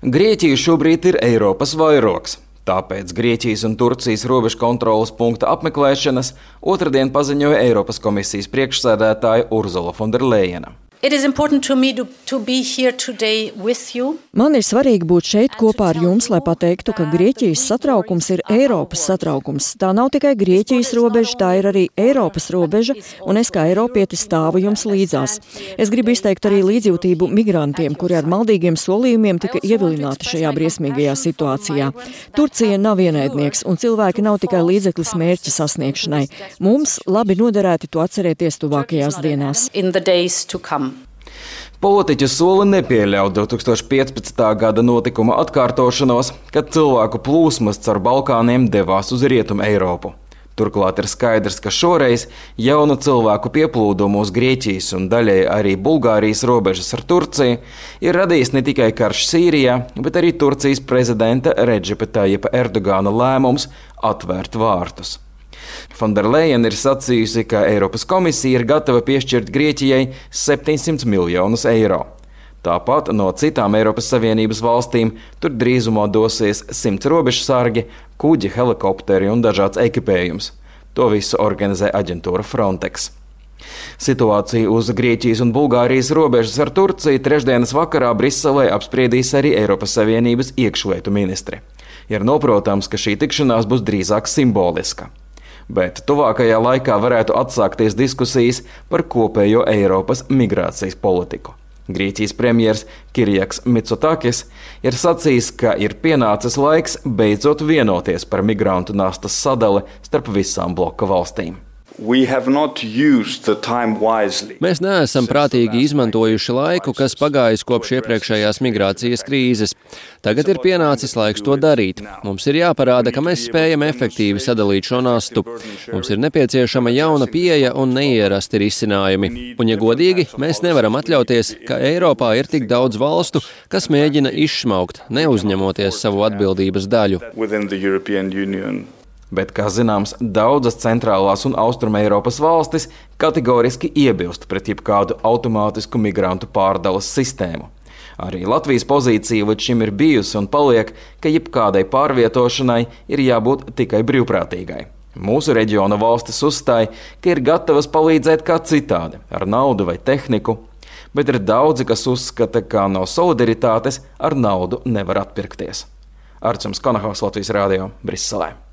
Grieķija šobrīd ir Eiropas vairogs. Tāpēc Grieķijas un Turcijas robežu kontroles punkta apmeklēšanas otrdien paziņoja Eiropas komisijas priekšsēdētāja Ursula von der Leyena. Man ir svarīgi būt šeit kopā ar jums, lai pateiktu, ka Grieķijas satraukums ir Eiropas satraukums. Tā nav tikai Grieķijas robeža, tā ir arī Eiropas robeža, un es kā eiropietis stāvu jums līdzās. Es gribu izteikt arī līdzjūtību migrantiem, kuri ar maldīgiem solījumiem tika ievilināti šajā briesmīgajā situācijā. Turcija nav ienaidnieks, un cilvēki nav tikai līdzeklis mērķa sasniegšanai. Mums labi noderētu to atcerēties tuvākajās dienās. Politiķi sola nepieļaut 2015. gada notikuma atkārtošanos, kad cilvēku plūsmas caur Balkāniem devās uz Rietumu Eiropu. Turklāt ir skaidrs, ka šoreiz jaunu cilvēku pieplūdumu uz Grieķijas un daļai arī Bulgārijas robežas ar Turciju ir radījis ne tikai karš Sīrijā, bet arī Turcijas prezidenta Redžepa Tajipa Erdogana lēmums atvērt vārtus. Von der Leyen ir sacījusi, ka Eiropas komisija ir gatava piešķirt Grieķijai 700 miljonus eiro. Tāpat no citām Eiropas Savienības valstīm tur drīzumā dosies 100 robežsargi, kuģi, helikopteri un dažāds ekipējums. To visu organizē aģentūra Frontex. Situāciju uz Grieķijas un Bulgārijas robežas ar Turciju trešdienas vakarā Briselē apspriedīs arī Eiropas Savienības iekšlietu ministri. Ir noprotams, ka šī tikšanās būs drīzāk simboliska. Bet tuvākajā laikā varētu atsākties diskusijas par kopējo Eiropas migrācijas politiku. Grieķijas premjers Kirjaks Mitsotakis ir sacījis, ka ir pienācis laiks beidzot vienoties par migrantu nastas sadali starp visām bloka valstīm. Mēs neesam prātīgi izmantojuši laiku, kas pagājis kopš iepriekšējās migrācijas krīzes. Tagad ir pienācis laiks to darīt. Mums ir jāparāda, ka mēs spējam efektīvi sadalīt šo nastu. Mums ir nepieciešama jauna pieeja un neierasti risinājumi. Un, ja godīgi, mēs nevaram atļauties, ka Eiropā ir tik daudz valstu, kas mēģina izšmaukt, neuzņemoties savu atbildības daļu. Bet, kā zināms, daudzas centrālās un austruma Eiropas valstis kategoriski iebilst pret jebkādu automātisku migrantu pārdales sistēmu. Arī Latvijas pozīcija līdz šim ir bijusi un paliek, ka jebkādai pārvietošanai ir jābūt tikai brīvprātīgai. Mūsu reģiona valstis uzstāja, ka ir gatavas palīdzēt kā citādi, ar naudu vai tehniku, bet ir daudzi, kas uzskata, ka no solidaritātes ar naudu nevar atpirkties. Arčuns Konahaus, Latvijas radio, Briselē.